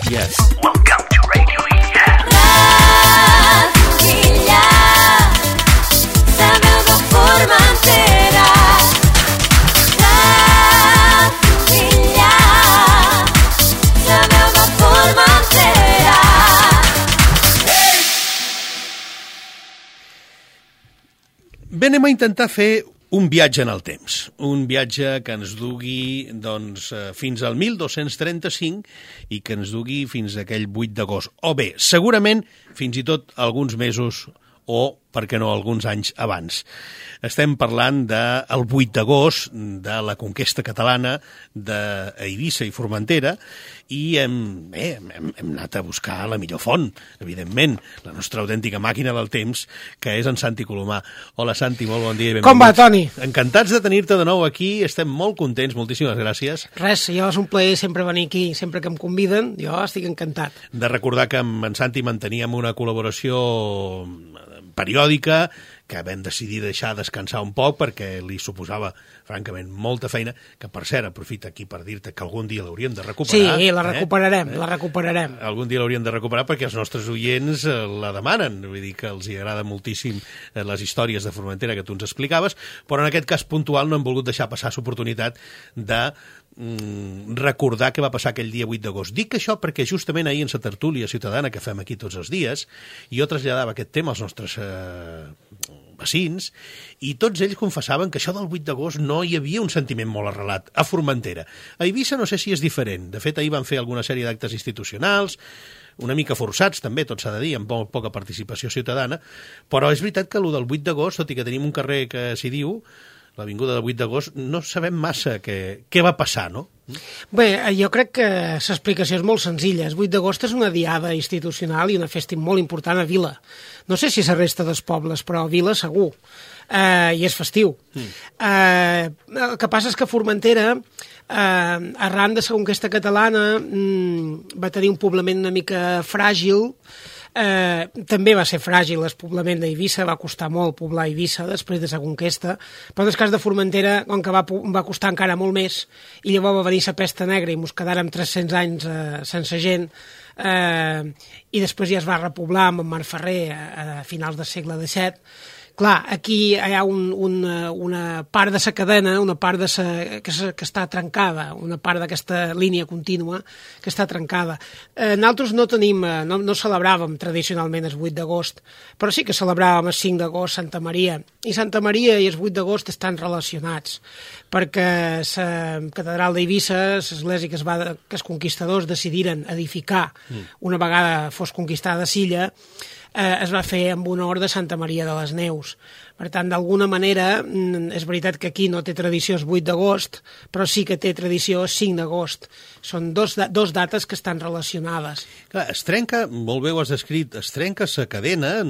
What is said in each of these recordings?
Yes. Welcome to Radio Illa. Radio Illa, la meva Formentera. Radio Illa, la meva Formentera. Bé, anem a intentar fer un viatge en el temps, un viatge que ens dugui fins al 1235 i que ens dugui fins a aquell 8 d'agost. O bé, segurament fins i tot alguns mesos o, per què no, alguns anys abans. Estem parlant del 8 d'agost, de la conquesta catalana d'Eivissa i Formentera, i hem anat a buscar la millor font, evidentment, la nostra autèntica màquina del temps, que és en Santi Colomà. Hola, Santi, molt bon dia i benvingut. Com va, Toni? Encantats de tenir-te de nou aquí, estem molt contents, moltíssimes gràcies. Res, jo és un plaer sempre venir aquí, sempre que em conviden, jo estic encantat. De recordar que amb en Santi manteníem una col·laboració periòdica, que vam decidir deixar descansar un poc perquè li suposava, francament, molta feina, que, per cert, aprofita aquí per dir-te que algun dia l'hauríem de recuperar. Sí, la recuperarem, la recuperarem. Algun dia l'hauríem de recuperar perquè els nostres oients la demanen, vull dir que els agrada moltíssim les històries de Formentera que tu ens explicaves, però en aquest cas puntual no hem volgut deixar passar l'oportunitat de recordar què va passar aquell dia 8 d'agost. Dic això perquè justament ahir en la tertúlia ciutadana que fem aquí tots els dies, jo traslladava aquest tema als nostres vecins i tots ells confessaven que això del 8 d'agost no hi havia un sentiment molt arrelat a Formentera. A Eivissa no sé si és diferent. De fet, ahir van fer alguna sèrie d'actes institucionals, una mica forçats també, tot s'ha de dir, amb molt poca participació ciutadana, però és veritat que el del 8 d'agost, tot i que tenim un carrer que s'hi diu, l'avinguda del 8 d'agost, no sabem massa què va passar, no? Bé, jo crec que l'explicació és molt senzilla. El 8 d'agost és una diada institucional i una festa molt important a Vila. No sé si la resta dels pobles, però a Vila segur. I és festiu. El que passa és que Formentera, arran de la conquesta catalana, va tenir un poblament una mica fràgil. També va ser fràgil el poblament d'Eivissa, va costar molt poblar Eivissa després de la conquesta, però en el cas de Formentera, com que va costar encara molt més, i llavors va venir la pesta negra i ens quedàrem 300 anys sense gent, i després ja es va repoblar amb en Marc Ferrer a finals del segle XVII. Clar, aquí hi ha una part de la cadena, una part que està trencada, una part d'aquesta línia contínua que està trencada. Nosaltres no celebràvem tradicionalment el 8 d'agost, però sí que celebràvem el 5 d'agost Santa Maria. I Santa Maria i el 8 d'agost estan relacionats, perquè la catedral d'Eivissa, l'església que els conquistadors decidiren edificar una vegada fos conquistada Silla, es va fer amb honor de Santa Maria de les Neus. Per tant, d'alguna manera, és veritat que aquí no té tradició el 8 d'agost, però sí que té tradició el 5 d'agost. Són dos dates que estan relacionades. Clar, es trenca, molt bé ho has descrit, es trenca la cadena,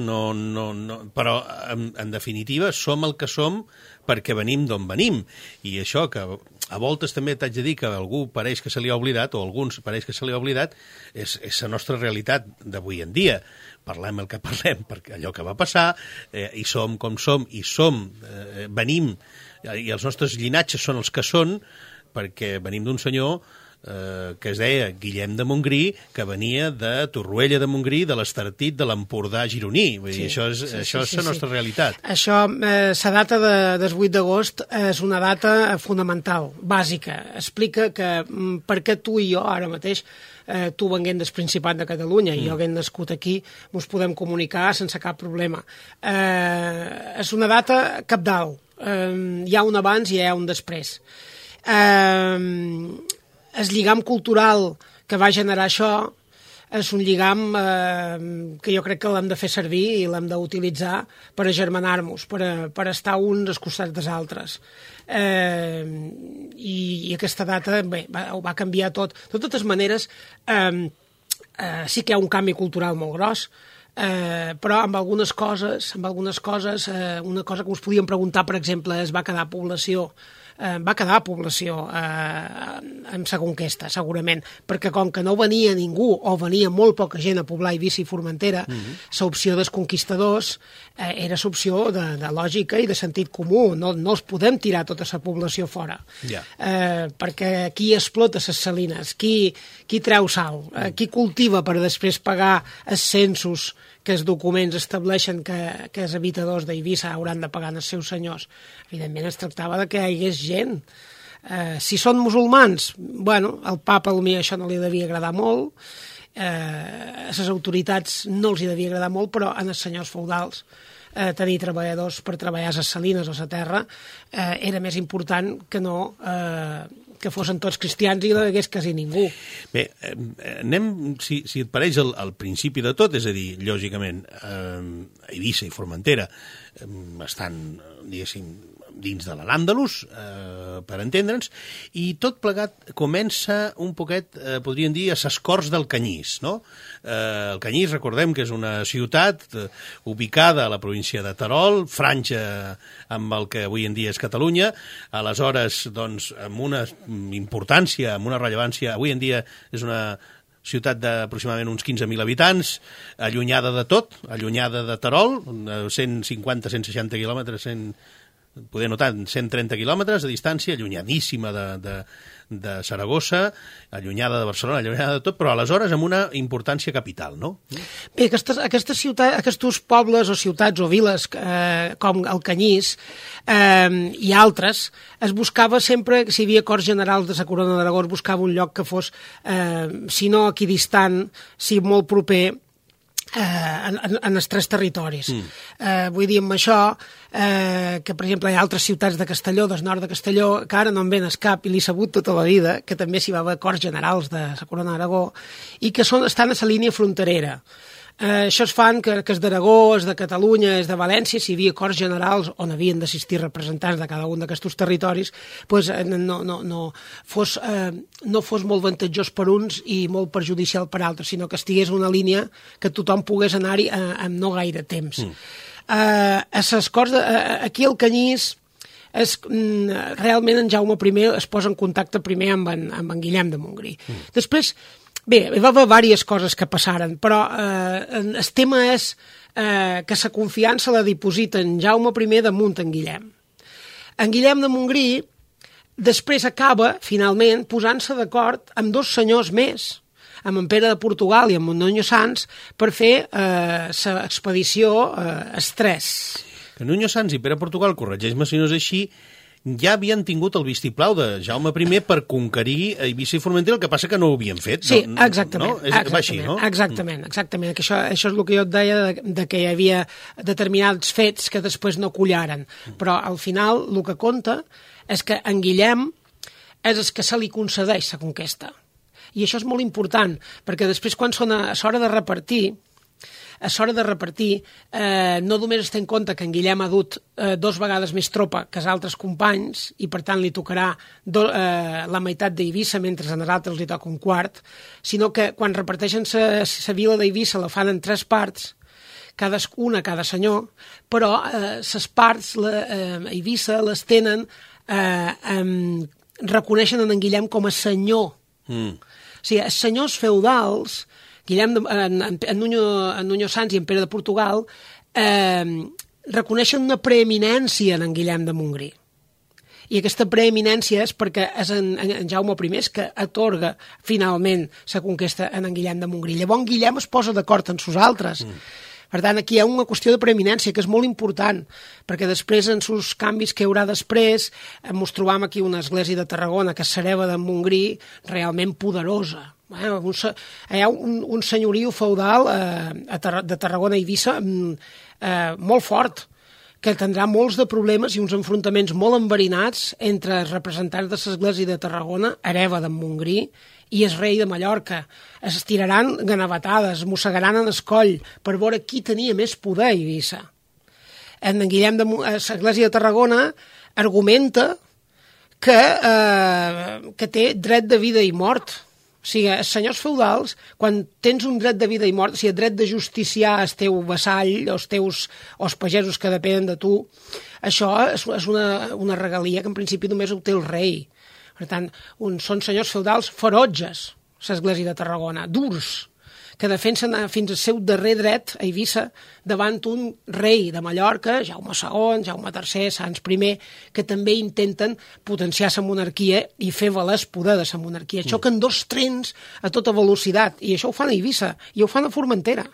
però en definitiva som el que som perquè venim d'on venim. I això que a voltes també t'haig de dir que algú pareix que se li ha oblidat, o alguns pareix que se li ha oblidat, és la nostra realitat d'avui en dia. Parlem el que parlem, perquè allò que va passar, i som com som, venim, i els nostres llinatges són els que són, perquè venim d'un senyor que es deia Guillem de Montgrí, que venia de Torroella de Montgrí, de l'Estartit de l'Empordà gironí. Vull dir, això és la nostra realitat. Això, la data del 8 d'agost és una data fonamental, bàsica. Explica que per què tu i jo ara mateix, tu venguent del Principat de Catalunya i jo havent nascut aquí, ens podem comunicar sense cap problema. És una data cabdal. Hi ha un abans i hi ha un després. El lligam cultural que va generar això és un lligam que jo crec que l'hem de fer servir i l'hem d'utilitzar per agermanar-nos, per estar uns als costats dels altres. I aquesta data ho va canviar tot. De totes maneres, sí que hi ha un canvi cultural molt gros, però amb algunes coses, una cosa que us podíem preguntar, per exemple, es va quedar població va quedar població en la conquesta, segurament, perquè com que no venia ningú o venia molt poca gent a poblar Eivissa i Formentera, l'opció dels conquistadors era l'opció de lògica i de sentit comú. No els podem tirar tota la població fora. Perquè qui explota les salines? Qui treu sal? Qui cultiva per després pagar els censos que els documents estableixen que els habitadors d'Eivissa hauran de pagar als seus senyors? Evidentment es tractava de que hi hagués gent. Si són musulmans, bueno, al papa potser això no li devia agradar molt, a les autoritats no els hi devia agradar molt, però en els senyors feudals tenir treballadors per treballar a les salines o a la terra era més important que no que fossin tots cristians i no hi hagués quasi ningú. Bé, anem, si et pareix, al principi de tot, és a dir, lògicament, Eivissa i Formentera estan, diguéssim, dins de l'Al-Àndalus, per entendre'ns, i tot plegat comença un poquet, podríem dir, a ses Corts del Canyís, no? El Canyís, recordem que és una ciutat ubicada a la província de Terol, franja amb el que avui en dia és Catalunya, aleshores, doncs, amb una importància, amb una rellevància, avui en dia és una ciutat d'aproximadament uns 15.000 habitants, allunyada de tot, allunyada de Terol, 150-160 quilòmetres, poder notar 130 quilòmetres de distància, allunyadíssima de Saragossa, allunyada de Barcelona, allunyada de tot, però aleshores amb una importància capital, no? Bé, aquestes ciutats, aquests pobles o ciutats o viles com el Canyís i altres, es buscava sempre, si hi havia Corts Generals de la Corona d'Aragó, es buscava un lloc que fos, si no equidistant, si molt proper, en els tres territoris. Vull dir amb això que, per exemple, hi ha altres ciutats de Castelló, del nord de Castelló, que ara no en ven cap i l'he sabut tota la vida, que també s'hi va haver Corts Generals de la Corona d'Aragó i que estan a la línia fronterera. Això es fan que és d'Aragó, és de Catalunya, és de València, si hi havia Corts Generals on havien d'assistir representants de cada un d'aquests territoris, doncs no fos molt avantatjós per uns i molt perjudicial per altres, sinó que estigués una línia que tothom pogués anar-hi amb no gaire temps. A les Corts, aquí al Canyís, realment en Jaume I es posa en contacte primer amb en Guillem de Montgrí. Després, bé, hi va haver diverses coses que passaren, però el tema és que la confiança la diposita en Jaume I damunt en Guillem. En Guillem de Montgrí després acaba, finalment, posant-se d'acord amb dos senyors més, amb en Pere de Portugal i amb Nuño Sans, per fer l'expedició Estrès. Que Nuño Sans i Pere Portugal, corregeix-me si no és així, ja havien tingut el vistiplau de Jaume I per conquerir Eivissa i Formentera, el que passa que no ho havien fet. Sí, exactament. No? Va així, no? Exactament. Que això és el que jo et deia, de que hi havia determinats fets que després no collaren. Però al final el que compta és que en Guillem és el que se li concedeix la conquesta. I això és molt important, perquè després quan són a l'hora de repartir, no només es té en compte que en Guillem ha dut 2 vegades més tropa que els altres companys i per tant li tocarà la meitat d'Eivissa mentre a nosaltres li toca un quart, sinó que quan reparteixen la vila d'Eivissa la fan en 3 parts, cadascuna cada senyor, però les parts Eivissa les tenen, reconeixen en Guillem com a senyor. O sigui, els senyors feudals, en Nuño Sans i en Pere de Portugal, reconeixen una preeminència en Guillem de Montgrí. I aquesta preeminència és perquè és en Jaume I que atorga finalment la conquesta en Guillem de Montgrí. Llavors Guillem es posa d'acord amb nosaltres. Per tant, aquí hi ha una qüestió de preeminència que és molt important, perquè després, en els canvis que hi haurà després, ens trobam aquí una església de Tarragona, que és l'hereva de Montgrí, realment poderosa. Hi ha un senyoriu feudal de Tarragona i Eivissa molt fort, que tindrà molts de problemes i uns enfrontaments molt enverinats entre els representants de l'església de Tarragona, hereva de Montgrí, i el rei de Mallorca. Es tiraran ganavatades, mossegaran en el coll per veure qui tenia més poder a Eivissa. En Guillem de l'església de Tarragona argumenta que té dret de vida i mort. O O sigui, els senyors feudals, quan tens un dret de vida i mort, o sigui, el dret de justiciar el teu vassall, els pagesos que depenen de tu, això és una regalia que en principi només ho té el rei. Per tant, són senyors feudals ferotges, l'església de Tarragona, durs, que defensen fins al seu darrer dret a Eivissa davant un rei de Mallorca, Jaume II, Jaume III, Sants I, que també intenten potenciar la monarquia i fer valer el poder de la monarquia. Xoquen dos trens a tota velocitat, i això ho fan a Eivissa, i ho fan a Formentera.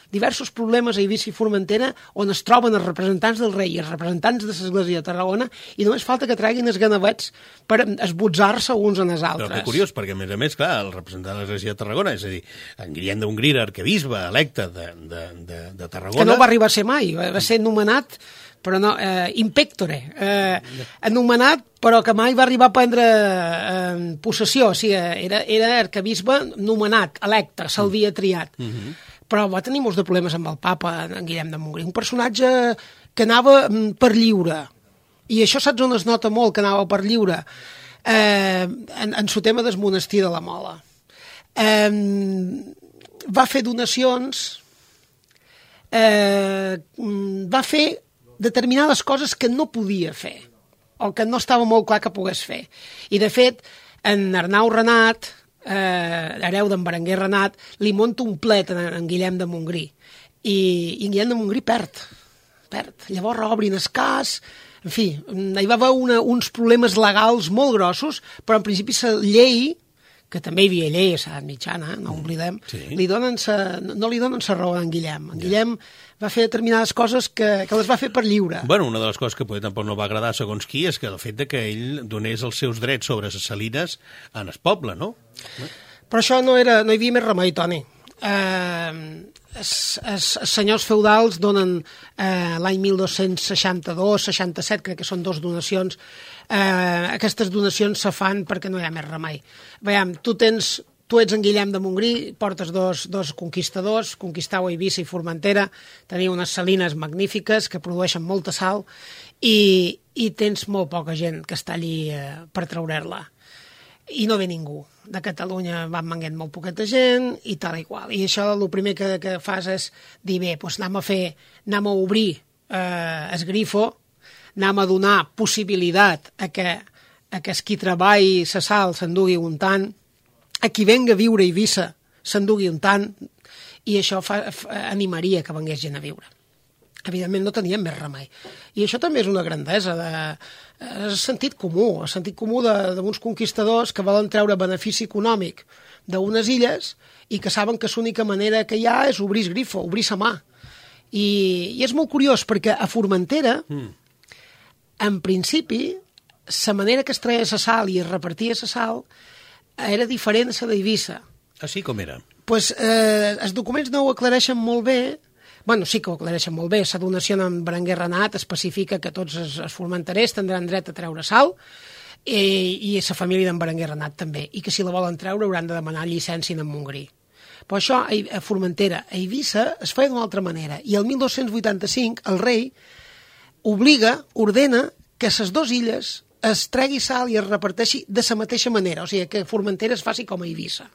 Diversos problemes a Eivissa i Formentera on es troben els representants del rei i els representants de l'església de Tarragona i només falta que treguin els ganavets per esbotzar-se uns en els altres. Però que curiós, perquè a més, clar, el representant de l'església de Tarragona, és a dir, en Guillem d'Hongria, arquebisbe electe de Tarragona... Que no va arribar a ser mai, va ser nomenat però no, impectore, anomenat, però que mai va arribar a prendre possessió, o sigui, era arquebisbe nomenat, electe, se'l havia triat. Però va tenir molts de problemes amb el papa, en Guillem de Montgrí, un personatge que anava per lliure, i això saps on es nota molt, que anava per lliure, en su tema del monestir de la Mola. Va fer donacions, va fer determinades coses que no podia fer, o que no estava molt clar que pogués fer. I, de fet, en Arnau Renat, hereu d'en Berenguer Renat, li monta un plet en Guillem de Montgrí. I en Guillem de Montgrí perd. Llavors reobrin el cas, en fi, hi va haver uns problemes legals molt grossos, però en principi la llei, que també hi havia llei a l'edat mitjana, no ho oblidem, no li donen la raó a en Guillem. En Guillem va fer determinades coses que les va fer per lliure. Bueno, una de les coses que potser tampoc no va agradar segons qui és que el fet de que ell donés els seus drets sobre les salines en el poble, no? Però això no hi havia més remei, Toni. Els senyors feudals donen l'any 1262-67, crec que són 2 donacions. Aquestes donacions se fan perquè no hi ha més remei. Veiem, tu ets en Guillem de Montgrí, portes dos conquistadors, conquistau Eivissa i Formentera, teniu unes salines magnífiques que produeixen molta sal i tens molt poca gent que està allí per treure-la. I no ve ningú. De Catalunya van venguent molt poqueta gent i tal i qual. I això el primer que fas és dir, bé, doncs anem a obrir el grifo, anem a donar possibilitat a que qui treballi la sal s'endugui un tant, a qui venga a viure a Eivissa s'endugui un tant, i això animaria que vengués gent a viure. Evidentment no teníem més remei. I això també és una grandesa, és sentit comú d'uns conquistadors que volen treure benefici econòmic d'unes illes i que saben que l'única manera que hi ha és obrir el grifo, obrir la mà. I és molt curiós perquè a Formentera, en principi, la manera que es treia la sal i es repartia la sal era diferent a la d'Eivissa. Així com era? Doncs els documents no ho aclareixen molt bé. Bueno, sí que ho aclareixen molt bé. La donació en Berenguer Renat especifica que tots els formenterers tindran dret a treure sal i la família d'en Berenguer Renat també, i que si la volen treure hauran de demanar llicència en Montgrí. Però això a Formentera, a Eivissa, es feia d'una altra manera, i el 1285 el rei ordena que a les 2 illes es tregui sal i es reparteixi de la mateixa manera, o sigui, que Formentera es faci com a Eivissa.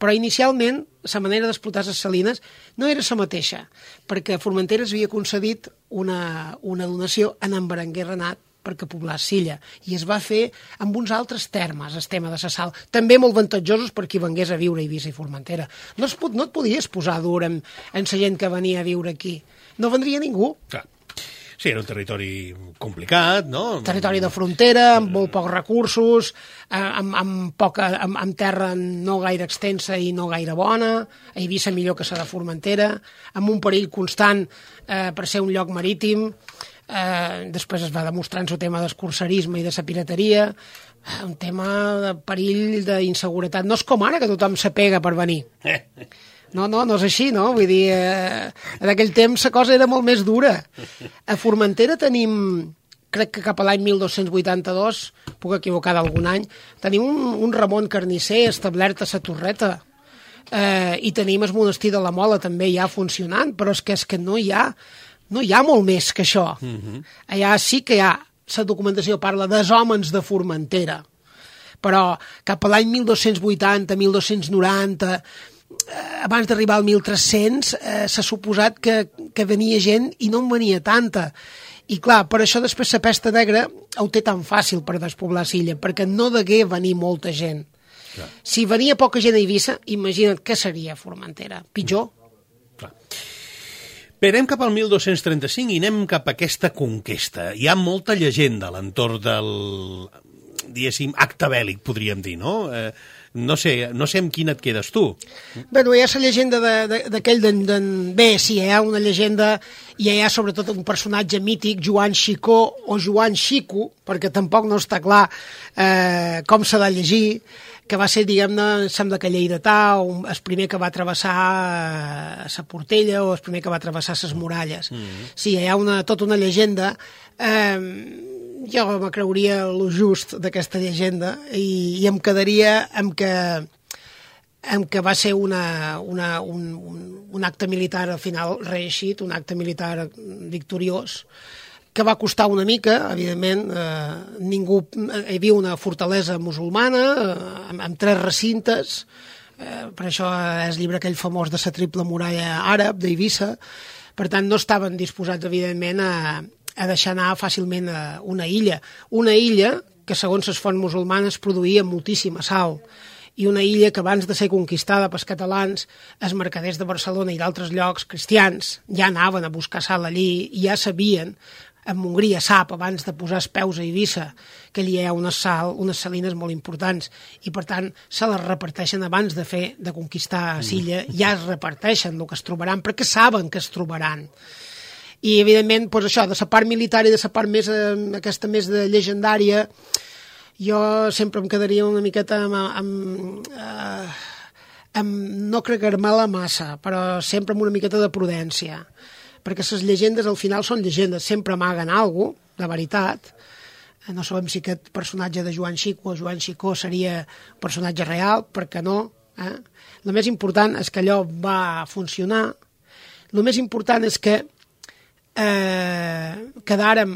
Però inicialment la manera d'explotar les salines no era la mateixa, perquè Formentera es havia concedit una donació en Berenguer Renat perquè poblés l'illa, i es va fer amb uns altres termes, el tema de la sal, també molt avantatjosos per qui vengués a viure a Eivissa i Formentera. No et podies posar dur en la gent que venia a viure aquí. No vendria ningú. Clar. Sí, era un territori complicat, no? Territori de frontera, amb molt pocs recursos, amb terra no gaire extensa i no gaire bona, a Eivissa millor que la de Formentera, amb un perill constant per ser un lloc marítim. Després es va demostrar en el tema d'escorcerisme i de la pirateria, un tema de perill, d'inseguretat. No és com ara, que tothom se pega per venir. No és així, no? Vull dir, en aquell temps la cosa era molt més dura. A Formentera tenim, crec que cap a l'any 1282, puc equivocar d'algun any, tenim un Ramon Carnisser establert a la Torreta, i tenim el monestir de la Mola també ja funcionant, però és que no hi ha molt més que això. Allà sí que hi ha, la documentació parla dels hòmens de Formentera, però cap a l'any 1280, 1290, abans d'arribar al 1300, s'ha suposat que venia gent i no en venia tanta. I clar, per això després la pesta negra ho té tan fàcil per despoblar Silla, perquè no degué venir molta gent. Clar. Si venia poca gent a Eivissa, imagina't què seria Formentera. Pitjor. Clar. Bé, anem cap al 1235 i anem cap a aquesta conquesta. Hi ha molta llegenda a l'entorn del, diguéssim, acte bèl·lic, podríem dir, no? No sé amb quina et quedes tu. Bé, hi ha la llegenda d'aquell Bé, sí, hi ha una llegenda i hi ha sobretot un personatge mític, Joan Xicó o Joan Xico, perquè tampoc no està clar com s'ha de llegir, que va ser, diguem-ne, sembla que lleidatà, el primer que va travessar la Portella o el primer que va travessar les muralles. Sí, hi ha tota una llegenda. Jo me creuria lo just d'aquesta llegenda i em quedaria amb que va ser un acte militar al final reeixit, un acte militar victoriós, que va costar una mica, evidentment, hi havia una fortalesa musulmana amb 3 recintes, per això és el llibre aquell famós de la triple muralla àrab d'Eivissa, per tant no estaven disposats, evidentment, a deixar anar fàcilment una illa que segons les fonts musulmanes produïa moltíssima sal, i una illa que abans de ser conquistada pels catalans, els mercaders de Barcelona i d'altres llocs cristians ja anaven a buscar sal allí i ja sabien, en Hongria sap, abans de posar els peus a Eivissa, que allí hi ha unes salines molt importants i per tant se les reparteixen abans de conquistar Silla, ja es reparteixen el que es trobaran perquè saben que es trobaran. I evidentment, doncs això, de la part militar i de la part més, aquesta més de llegendària, jo sempre em quedaria una miqueta no cregar-me-la massa, però sempre amb una miqueta de prudència, perquè les llegendes al final són llegendes, sempre amaguen alguna cosa, de veritat. No sabem si aquest personatge de Joan Xico o Joan Xicó seria un personatge real, perquè no. El més important és que allò va funcionar, el més important és que quedàrem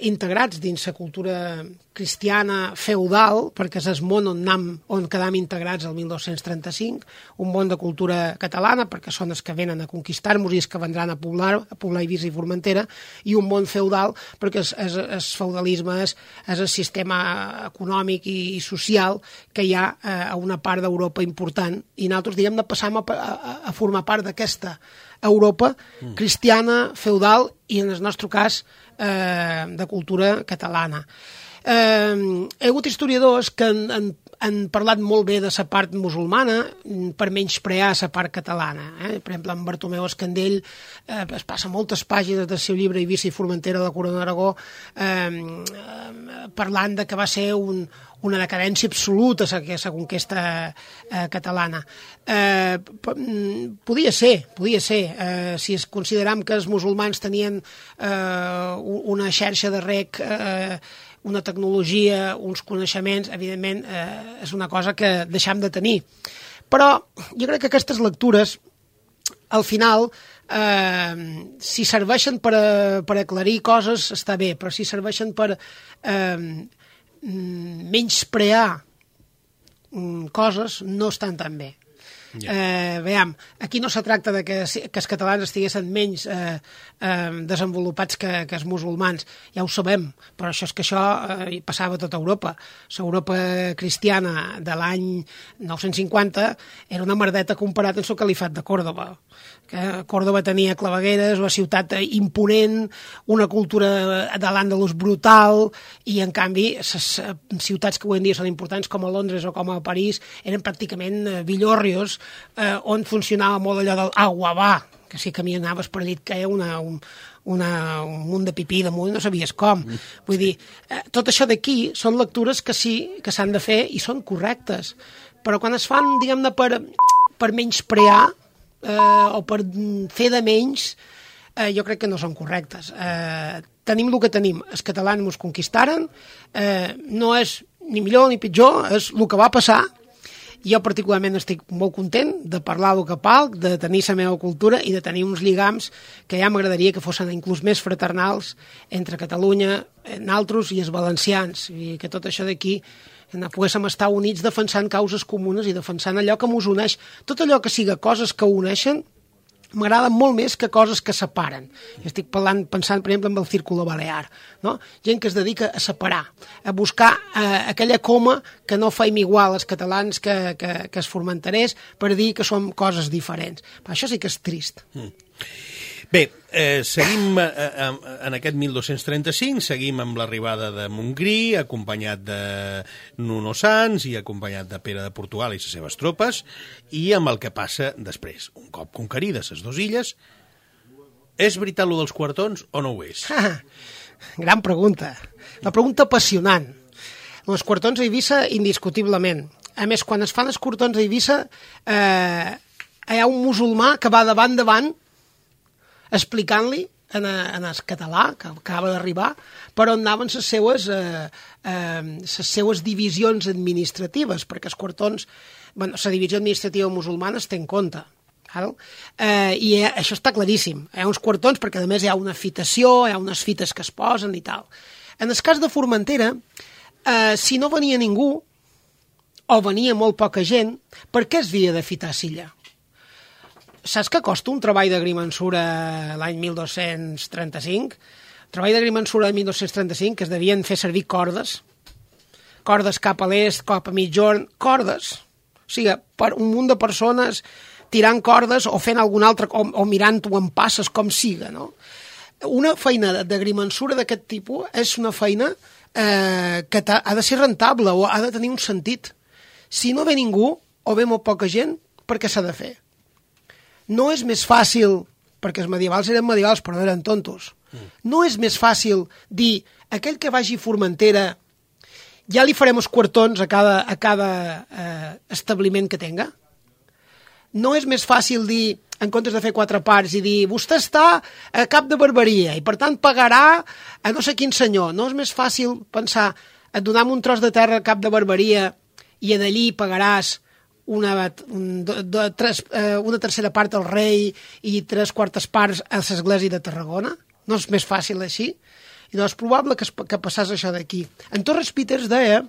integrats dins la cultura cristiana feudal, perquè és el món on quedam integrats el 1235, un món de cultura catalana, perquè són els que venen a conquistar-nos i els que vendran a poblar Eivissa i Formentera, i un món feudal, perquè el feudalisme és el sistema econòmic i social que hi ha a una part d'Europa important, i nosaltres, diguem-ne, passam a formar part d'aquesta Europa cristiana, feudal i, en el nostre cas, de cultura catalana. Hi ha hagut historiadors que han parlat molt bé de la part musulmana per menysprear la part catalana. Per exemple, en Bartomeu Escandell es passa moltes pàgines del seu llibre Eivissa i Formentera de la Corona d'Aragó parlant de que va ser una decadència absoluta la conquesta catalana. Podia ser. Si es consideram que els musulmans tenien una xarxa de rec, una tecnologia, uns coneixements, evidentment és una cosa que deixam de tenir. Però jo crec que aquestes lectures, al final, si serveixen per aclarir coses, està bé, però si serveixen per menysprear coses, no estan tan bé. Veiem, aquí no se tracta de que els catalans estiguessin menys desenvolupats que els musulmans, ja ho sabem, però això és que això passava a tota Europa. L'Europa cristiana de l'any 950 era una merdeta comparat amb el califat de Còrdova. Còrdova tenia clavegueres, una ciutat imponent, una cultura de l'Àndalus brutal, i en canvi les ciutats que avui en dia són importants com a Londres o com a París eren pràcticament villorrios, on funcionava molt allò del agua va, que si caminaves per allà et caia un munt de pipí damunt, no sabies com. Vull dir, tot això d'aquí són lectures que sí que s'han de fer i són correctes, però quan es fan, diguem-ne, per menysprear o per fer de menys, jo crec que no són correctes. Tenim el que tenim. Els catalans ens conquistaren, no és ni millor ni pitjor, és el que va passar. Jo particularment estic molt content de parlar del que palc, de tenir la meva cultura i de tenir uns lligams que ja m'agradaria que fossin inclús més fraternals entre Catalunya, nosaltres i els valencians, i que tot això d'aquí poguéssim estar units defensant causes comunes i defensant allò que mos uneix. Tot allò que siga coses que uneixen m'agraden molt més que coses que separen. Jo estic pensant, per exemple, en el Círculo Balear, no? Gent que es dedica a separar, a buscar aquella coma que no faim igual els catalans que els formenterers per dir que som coses diferents. Però això sí que és trist. Bé, seguim en aquest 1235, seguim amb l'arribada de Montgrí, acompanyat de Nuno Sanç i acompanyat de Pere de Portugal i les seves tropes, i amb el que passa després. Un cop conquerides les dues illes, és veritat lo dels quartons o no ho és? Gran pregunta. La pregunta apassionant. Els quartons a Eivissa, indiscutiblement. A més, quan es fan els quartons a Eivissa, hi ha un musulmà que va davant explicant-li en el català, que acaba d'arribar, per on anaven les seues divisions administratives, perquè els quartons, la divisió administrativa musulmana es té en compte. I això està claríssim. Hi ha uns quartons perquè, a més, hi ha una fitació, hi ha unes fites que es posen i tal. En el cas de Formentera, si no venia ningú, o venia molt poca gent, per què es havia de fitar Silla? Saps què costa un treball d'agrimensura l'any 1235? El treball d'agrimensura de 1235, que es devien fer servir cordes cap a l'est, cap a mitjorn, cordes. O sigui, per un munt de persones tirant cordes o fent algun altre, o mirant-ho en passes, com siga, no? Una feina d'agrimensura d'aquest tipus és una feina que ha de ser rentable o ha de tenir un sentit. Si no ve ningú o ve molt poca gent, per què s'ha de fer? No és més fàcil, perquè els medievals eren medievals però no eren tontos, no és més fàcil dir aquell que vagi a Formentera ja li farem els quartons a cada establiment que tenga? No és més fàcil dir, en comptes de fer 4 parts, i dir vostè està a cap de barberia i per tant pagarà a no sé quin senyor? No és més fàcil pensar, et donem un tros de terra a cap de barberia i d'allí pagaràs una tercera part al rei i 3/4 parts a l'església de Tarragona? No és més fàcil així? I no és probable que passés això d'aquí. En Torres Peters deia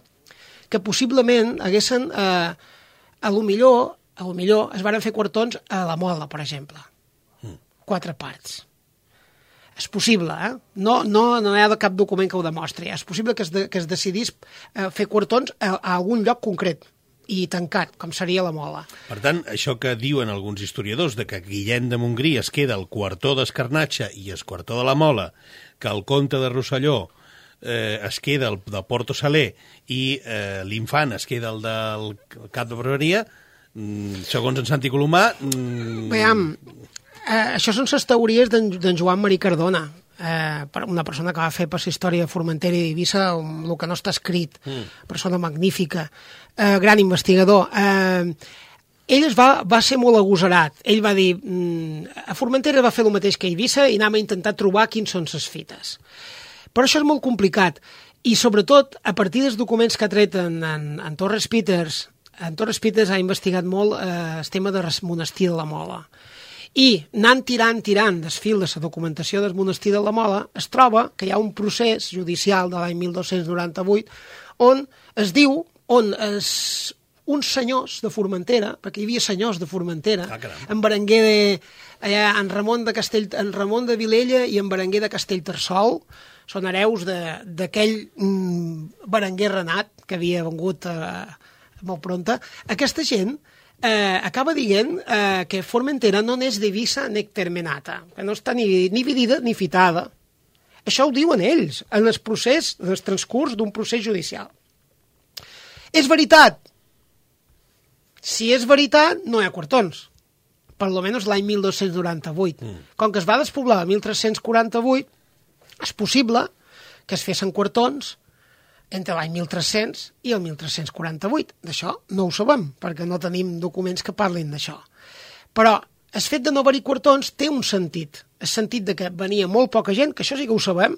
que possiblement haguessin, a lo millor es van fer quartons a la Mola, per exemple. 4 parts. És possible, No hi ha cap document que ho demostri. És possible que es decidís fer quartons a algun lloc concret i tancat, com seria la Mola. Per tant, això que diuen alguns historiadors de que Guillem de Montgrí es queda el quartó d'Escarnatxa i el quartó de la Mola, que el comte de Rosselló es queda el de Porto Saler i l'infant es queda el del cap de barberia, segons en Santi Colomà... Veiem, això són les teories d'en Joan Marí Cardona, una persona que va fer per la història de Formentera i d'Eivissa el que no està escrit, persona magnífica, gran investigador. Ell va ser molt agosarat. Ell va dir, a Formentera va fer el mateix que a Eivissa i anem a intentar trobar quins són les fites. Però això és molt complicat i sobretot a partir dels documents que ha tret en Torres Peters, ha investigat molt el tema del monestir de la Mola. I anant tirant del fil de la documentació del monestir de la Mola, es troba que hi ha un procés judicial de l'any 1298 on es diu, uns senyors de Formentera, perquè hi havia senyors de Formentera, en Berenguer en Ramon de Vilella i en Berenguer de Castellterçol, són hereus d'aquell Berenguer Renat que havia vengut molt pronta. Aquesta gent acaba dient que Formentera no n'és divisa ni termenata, que no està ni dividida ni fitada. Això ho diuen ells, en el procés, en el transcurs d'un procés judicial. És veritat? Si és veritat, no hi ha quartons. Per almenys l'any 1298. Com que es va despoblar el 1348, és possible que es fessin quartons entre l'any 1300 i el 1348. D'això no ho sabem, perquè no tenim documents que parlin d'això. Però el fet de no haver-hi quartons té un sentit. El sentit de que venia molt poca gent, que això sí que ho sabem,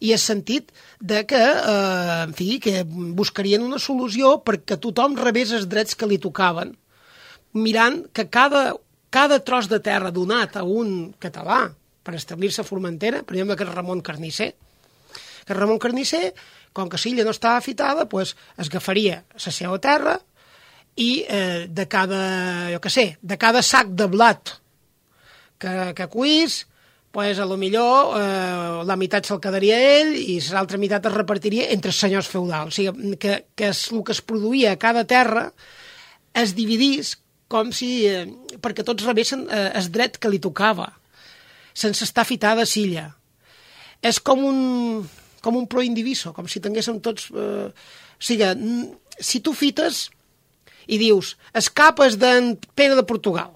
i el sentit de que, en fi, que buscarien una solució perquè tothom rebés els drets que li tocaven, mirant que cada tros de terra donat a un català per establir-se a Formentera, per exemple que és Ramon Carnisser, Que Ramon Carnisser, com que l'illa no estava fitada, pues, es agafaria la seva terra i de cada sac de blat que cuís, pues, a lo millor la meitat se'l quedaria ell i l'altra meitat es repartiria entre els senyors feudals. O sigui, que el que es produïa a cada terra es dividís com si... perquè tots rebessin el dret que li tocava, sense estar fitada a l'illa. És com un pro indiviso, com si tinguéssim tots... o sigui, si tu fites i dius, el cap és d'en Pere de Portugal,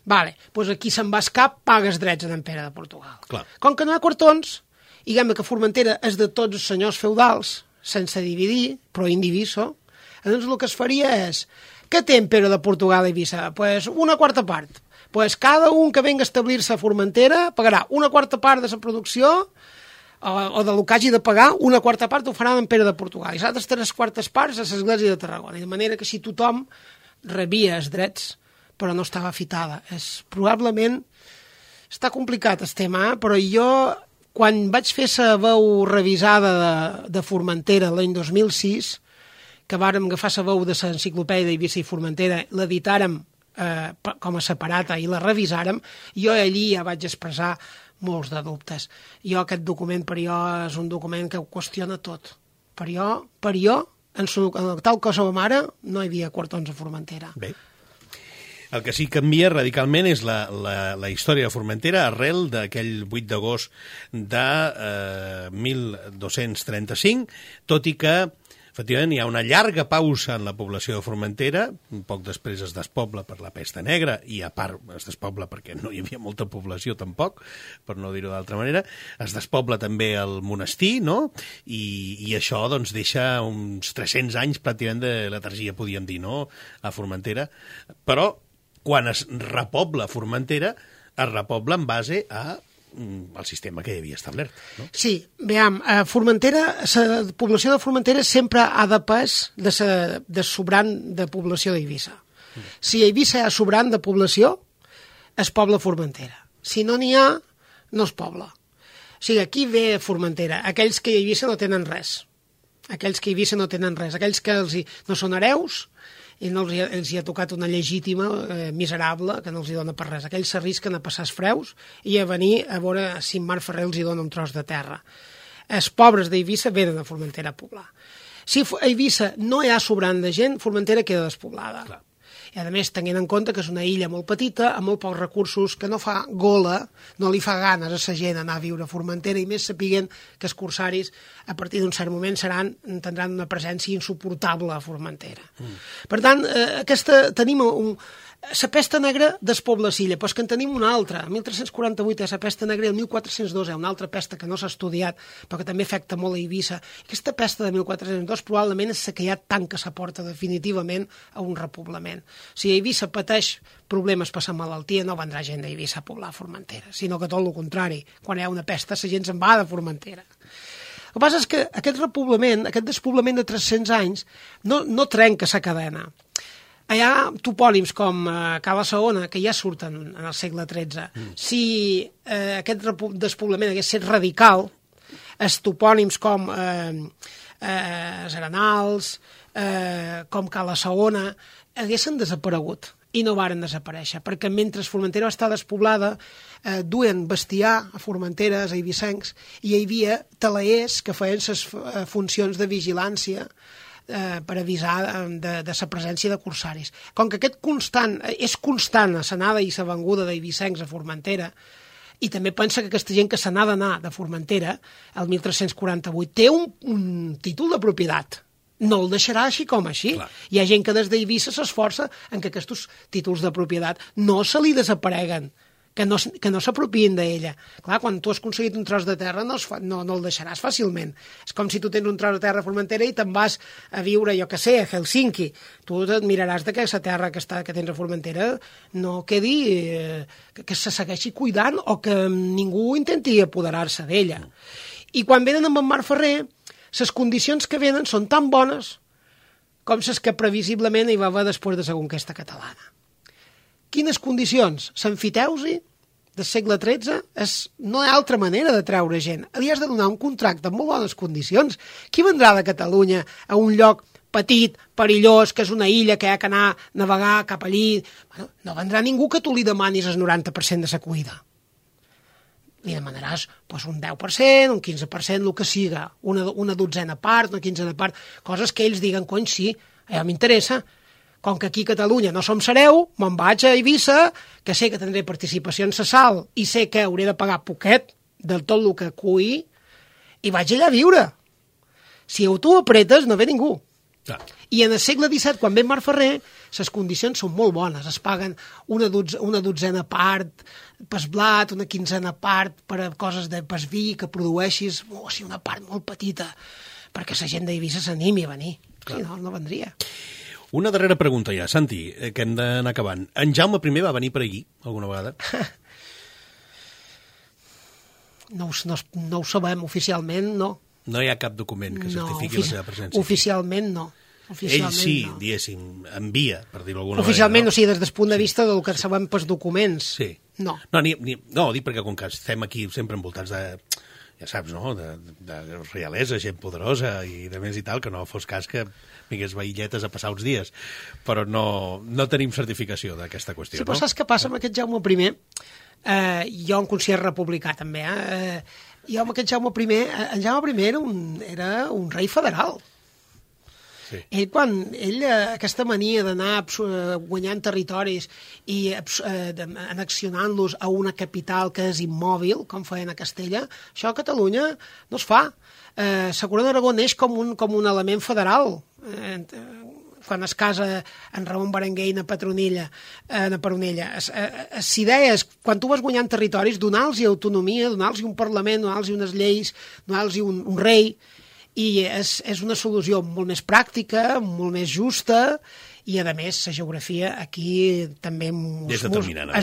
vale, doncs aquí se'n va el cap, pagues drets en Pere de Portugal. Clar. Com que no hi ha quartons, diguem que Formentera és de tots els senyors feudals, sense dividir, pro indiviso, llavors el que es faria és, què té en Pere de Portugal i Eivissa? Pues una quarta part. Pues cada un que venga a establir-se a Formentera pagarà una quarta part de la producció o del que hagi de pagar, una quarta part ho farà en Pere de Portugal. I les altres 3/4 parts a l'Església de Tarragona. I de manera que si tothom rebia els drets, però no estava fitada. Probablement està complicat el tema, però jo, quan vaig fer la veu revisada de Formentera l'any 2006, que vàrem agafar la veu de l'enciclopèdia d'Eivissa i Formentera, l'editàrem com a separata i la revisàrem, jo allí ja vaig expressar molts de dubtes. Aquest document per jo és un document que ho qüestiona tot. Per jo, tal que som ara, no hi havia quartons a Formentera. Bé. El que sí que canvia radicalment és la història de Formentera arrel d'aquell 8 d'agost de 1235, tot i que efectivament hi ha una llarga pausa en la població de Formentera, un poc després es despobla per la pesta negra, i a part es despobla perquè no hi havia molta població tampoc, per no dir-ho d'altra manera, es despobla també el monestir, no? I això doncs deixa uns 300 anys pràcticament de letargia, podríem dir, no?, a Formentera, però quan es repobla Formentera, es repobla en base a el sistema que hi havia establert. No? Sí, veiem, Formentera, la població de Formentera sempre ha depès de sobrant de població d'Eivissa. Si a Eivissa hi ha sobrant de població, es pobla Formentera. Si no n'hi ha, no es pobla. O sigui, aquí ve Formentera, aquells que a Eivissa no tenen res. Aquells que a Eivissa no tenen res. Aquells que no són hereus, i no els hi ha tocat una legítima miserable que no els hi dona per res. Aquells s'arrisquen a passar els freus i a venir a veure si en Marc Ferrer els hi dona un tros de terra. Els pobres d'Eivissa venen a Formentera a poblar. Si a Eivissa no hi ha sobrant de gent, Formentera queda despoblada. Clar. I a més, tenint en compte que és una illa molt petita, amb molt pocs recursos, que no fa gola, no li fa ganes a la gent anar a viure a Formentera, i més sapiguen que els corsaris, a partir d'un cert moment, tindran una presència insuportable a Formentera. Per tant, tenim la pesta negra despobla l'illa, però és que en tenim una altra. El 1348 és la pesta negra i el 1402 és una altra pesta que no s'ha estudiat, però que també afecta molt a Eivissa. Aquesta pesta de 1402 probablement és la que ja tanca la porta definitivament a un repoblament. Si Eivissa pateix problemes per la malaltia, no vendrà gent d'Eivissa a poblar Formentera, sinó que tot el contrari. Quan hi ha una pesta, la gent se'n va de Formentera. El que passa és que aquest repoblament, aquest despoblament de 300 anys, no trenca la cadena. Hi ha topònims com Cala Saona, que ja surten en el segle XIII. Si aquest despoblament hagués estat radical, els topònims com Arenals, com Cala Saona, haguessin desaparegut i no varen desaparèixer, perquè mentre Formentera va estar despoblada, duen bestiar a Formentera, a eivissencs, i hi havia talaers que feien les funcions de vigilància per avisar de la presència de corsaris. Com que és constant a l'anada i la venguda d'eivissencs a Formentera, i també pensa que aquesta gent que se n'ha d'anar de Formentera, el 1348, té un títol de propietat. No el deixarà així com així. Clar. Hi ha gent que des d'Eivissa s'esforça en que aquests títols de propietat no se li desapareguen, que no s'apropien d'ella. Clar, quan tu has aconseguit un tros de terra no el deixaràs fàcilment. És com si tu tens un tros de terra a Formentera i te'n vas a viure, jo que sé, a Helsinki. Tu et miraràs que la terra que tens a Formentera no quedi, que se segueixi cuidant o que ningú intenti apoderar-se d'ella. I quan venen amb en Marc Ferrer, les condicions que venen són tan bones com les que previsiblement hi va haver després de la conquesta catalana. Quines condicions? L'emfiteusi, del segle XIII no hi ha altra manera de treure gent. Li has de donar un contracte amb molt bones condicions. Qui vendrà de Catalunya a un lloc petit, perillós, que és una illa que hi ha que anar a navegar cap allí? Bueno, no vendrà ningú que tu li demanis el 90% de sa cuida. Li demanaràs pues, un 10%, un 15%, el que siga, una dotzena part, una quinzena part, coses que ells diguen, cony, sí, m'interessa. Com que aquí a Catalunya no som sereu, me'n vaig a Eivissa, que sé que tindré participació en sa sal i sé que hauré de pagar poquet del tot el que cui, i vaig allà a viure. Si tu apretes, no ve ningú. Clar. I en el segle XVII, quan ve Marc Ferrer, les condicions són molt bones. Es paguen una dotzena part per blat, una quinzena part per a coses de pas vi que produeixis, sí, una part molt petita, perquè la gent d'Eivissa s'animi a venir. Si no, no vendria. Una darrera pregunta ja, Santi, que hem d'anar acabant. En Jaume I va venir per aquí, alguna vegada? No ho sabem, oficialment no. No hi ha cap document que certifiqui la seva presència. Oficialment no. Ell sí, diguéssim, envia, per dir-ho d'alguna oficialment, manera. O sigui, des del punt de vista del que sabem pels documents. Sí. No. No, dic perquè com que estem aquí sempre envoltats de, ja saps, no?, de realesa, gent poderosa i de més i tal, que no fos cas que vingués veïlletes a passar uns dies. Però no tenim certificació d'aquesta qüestió, sí, però saps què passa amb aquest Jaume I? Jo em considero republicà, també. Jo amb aquest Jaume I... En Jaume I era un rei federal. Sí. Aquesta mania d'anar guanyant territoris i annexionant-los a una capital que és immòbil, com feien a Castella, això a Catalunya no es fa. La Corona d'Aragó neix com un element federal. Quan es casa en Ramon Berenguer i na Peronella. L'idea és, quan tu vas guanyant territoris, donar-los autonomia, donar-los un parlament, donar-los unes lleis, donar-los un rei, i és una solució molt més pràctica, molt més justa, i a més la geografia aquí també és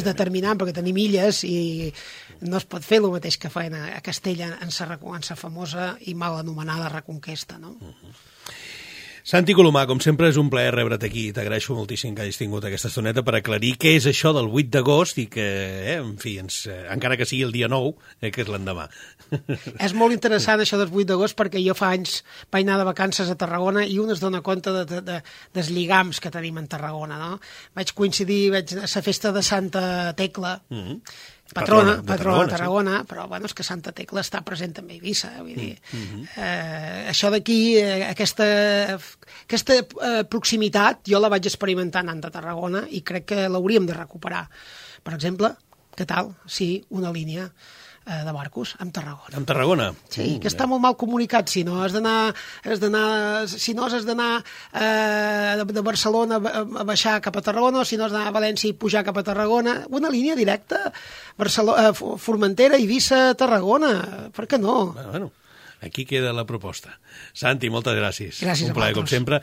determinant, perquè tenim illes i no es pot fer el mateix que feien a Castella en sa famosa i mal anomenada Reconquesta, no? Santi Colomà, com sempre és un plaer rebre't aquí. T'agraeixo moltíssim que hagis tingut aquesta estoneta per aclarir què és això del 8 d'agost i que, en fi, encara que sigui el dia 9, que és l'endemà. És molt interessant això del 8 d'agost perquè jo fa anys vaig anar de vacances a Tarragona i un es dona compte dels lligams que tenim en Tarragona, no? Vaig coincidir a la festa de Santa Tecla, patrona de Tarragona, sí. Però bueno, és que Santa Tecla està present també a Eivissa, vull dir. Això d'aquí, aquesta proximitat, jo la vaig experimentar anant a Tarragona i crec que l'hauríem de recuperar. Per exemple, què tal si una línia de barcos amb Tarragona. Amb Tarragona? Sí, que està molt mal comunicat. Si no has d'anar de Barcelona a baixar cap a Tarragona, o si no has d'anar a València i pujar cap a Tarragona, una línia directa, Formentera, Eivissa, Tarragona, per què no? Bueno, aquí queda la proposta. Santi, moltes gràcies. Gràcies a un plaer, com sempre.